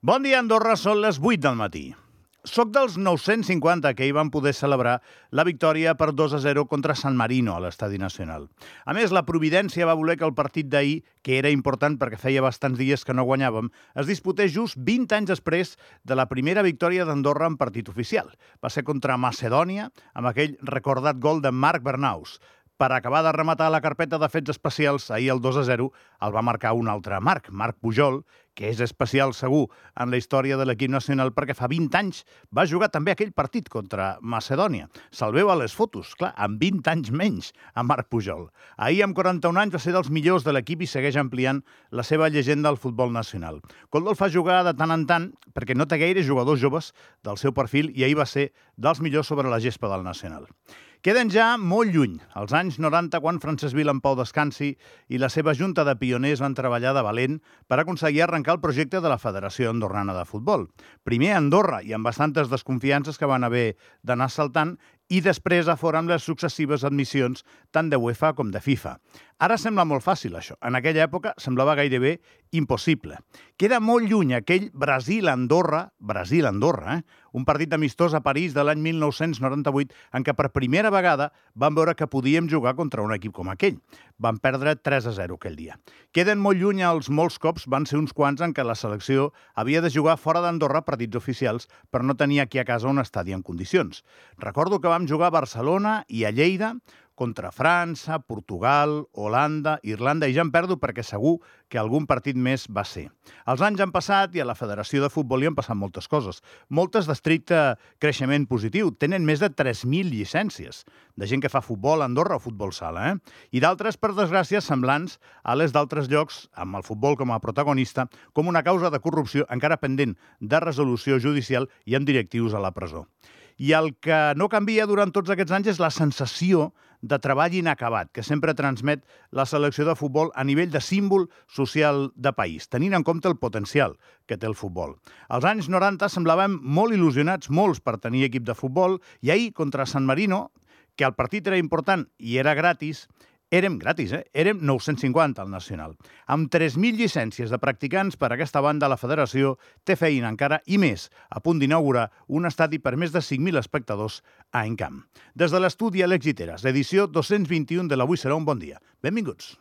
Bon dia, Andorra, són les 8 del matí. Soc dels 950 que hi van poder celebrar la victòria per 2-0 contra San Marino a l'Estadi Nacional. A més, la Providència va voler que el partit d'ahir, que era important perquè feia bastants dies que no guanyàvem, es disputés just 20 anys després de la primera victòria d'Andorra en partit oficial. Va ser contra Macedònia, amb aquell recordat gol de Marc Bernaus. Per acabar de rematar la carpeta de fets especials, ahir el 2-0 el va marcar un altre Marc Pujol, que és especial segur en la història de l'equip nacional perquè fa 20 anys va jugar també aquell partit contra Macedònia. Se'l veu a les fotos, clar, amb 20 anys menys a Marc Pujol. Ahir, amb 41 anys, va ser dels millors de l'equip i segueix ampliant la seva llegenda al futbol nacional. Coldo el fa jugar de tant en tant perquè no té gaire jugadors joves del seu perfil i ahir va ser dels millors sobre la gespa del nacional. Queden ja molt lluny, als anys 90, quan Francesc Vila en Pau descansi i la seva junta de pioners van treballar de valent per aconseguir arrencar el projecte de la Federació Andorrana de Futbol. Primer a Andorra, i amb bastantes desconfiances que van haver d'anar saltant, i després a fora amb les successives admissions tant de UEFA com de FIFA. Ara sembla molt fàcil, això. En aquella època semblava gairebé impossible. Queda molt lluny aquell Brasil-Andorra, un partit amistós a París de l'any 1998 en què per primera vegada vam veure que podíem jugar contra un equip com aquell. Vam perdre 3-0 aquell dia. Queden molt lluny els molts cops, van ser uns quants en què la selecció havia de jugar fora d'Andorra partits oficials per no tenir aquí a casa un estadi en condicions. Recordo que vam jugar a Barcelona i a Lleida contra França, Portugal, Holanda, Irlanda, i ja em perdo perquè segur que algun partit més va ser. Els anys han passat i a la Federació de Futbol hi han passat moltes coses. Moltes d'estricte creixement positiu. Tenen més de 3.000 llicències de gent que fa futbol a Andorra o futbol sala, I d'altres, per desgràcia, semblants a les d'altres llocs, amb el futbol com a protagonista, com una causa de corrupció encara pendent de resolució judicial i amb directius a la presó. I el que no canvia durant tots aquests anys és la sensació de treball inacabat que sempre transmet la selecció de futbol a nivell de símbol social de país, tenint en compte el potencial que té el futbol. Als anys 90 semblàvem molt il·lusionats, molts, per tenir equip de futbol, i ahir, contra San Marino, que el partit era important i era gratis, érem 950 al Nacional. Amb 3.000 llicències de practicants per a aquesta banda, la Federació té feina encara i més, a punt d'inaugurar un estadi per més de 5.000 espectadors a Encamp. Des de l'estudi Àlex Guiteras, l'edició 221 de l'Avui serà un bon dia. Benvinguts.